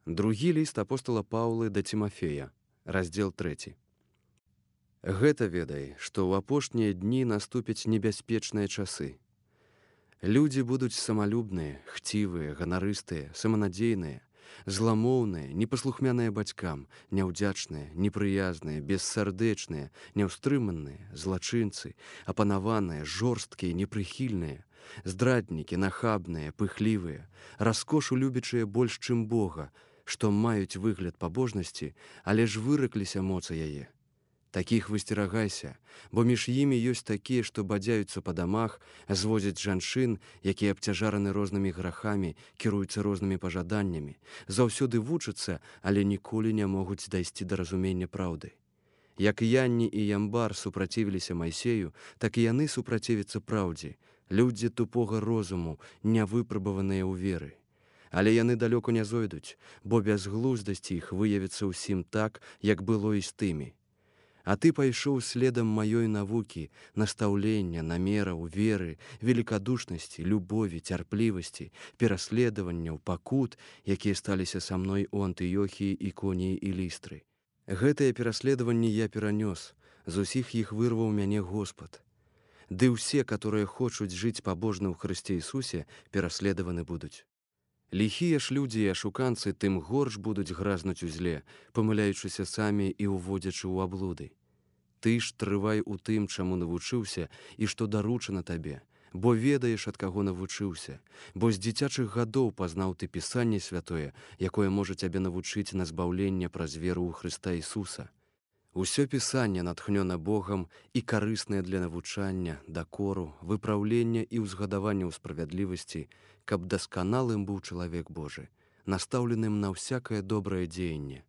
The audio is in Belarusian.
Другі ліст апостала Паўлы да Цімафея, раздзел 3. Гэта ведай, што ў апошнія дні наступяць небяспечныя часы. Людзі будуць самалюбныя, хцівыя, ганарыстыя, саманадзейныя, зламоўныя, непаслухмяныя бацькам, няўдзячныя, непрыязныя, бессардэчныя, няўстрыманыя, злачынцы, апанаваныя, жорсткія, непрыхільныя, здраднікі, нахабныя, пыхлівыя, раскошу любячыя больш, чым Бога, што маюць выгляд пабожнасці, але ж выракліся моцы яе. Такіх высцерагайся, бо між імі ёсць такія, што бадзяюцца па дамах, зводзяць жанчын, якія абцяжараны рознымі грахамі, кіруюцца рознымі пажаданнямі, заўсёды вучацца, але ніколі не могуць дайсці да разумення праўды. Як Янні і Ямбар супрацівіліся Майсею, так і яны супрацівяцца праўдзе, людзі тупога розуму, нявыпрабаваныя ў веры. Але яны далёка не зойдуць, бо бязглуздасць іх выявіцца ўсім так, як было і з тымі. А ты пайшоў следам маёй навукі, настаўлення, намераў, веры, великадушнасці, любові, цярплівасці, пераследаванняў, пакут, якія сталіся са мной у Антыёхіі, Іконіі і Лістры. Гэтыя пераследаванні я перанёс, з усіх іх вырваў мяне Господ. Ды ўсе, которые хочуць жыць пабожна ў Хрысце Ісусе, пераследаваны будуць. Ліхія ж людзі і ашуканцы тым горш будуць гразнуць у зле, памыляючыся самі і ўводзячы ў аблуды. Ты ж трывай у тым, чаму навучыўся і што даручана табе, бо ведаеш, ад каго навучыўся, бо з дзіцячых гадоў пазнаў ты Пісанне святое, якое можа цябе навучыць на збаўленне праз веру ў Хрыста Ісуса. Усё Пісанне натхнёна Богам і карыснае для навучання, дакору, выпраўлення і ўзгадавання ў справядлівасці, каб дасканалым быў чалавек Божы, настаўленым на ўсякае добрае дзеянне.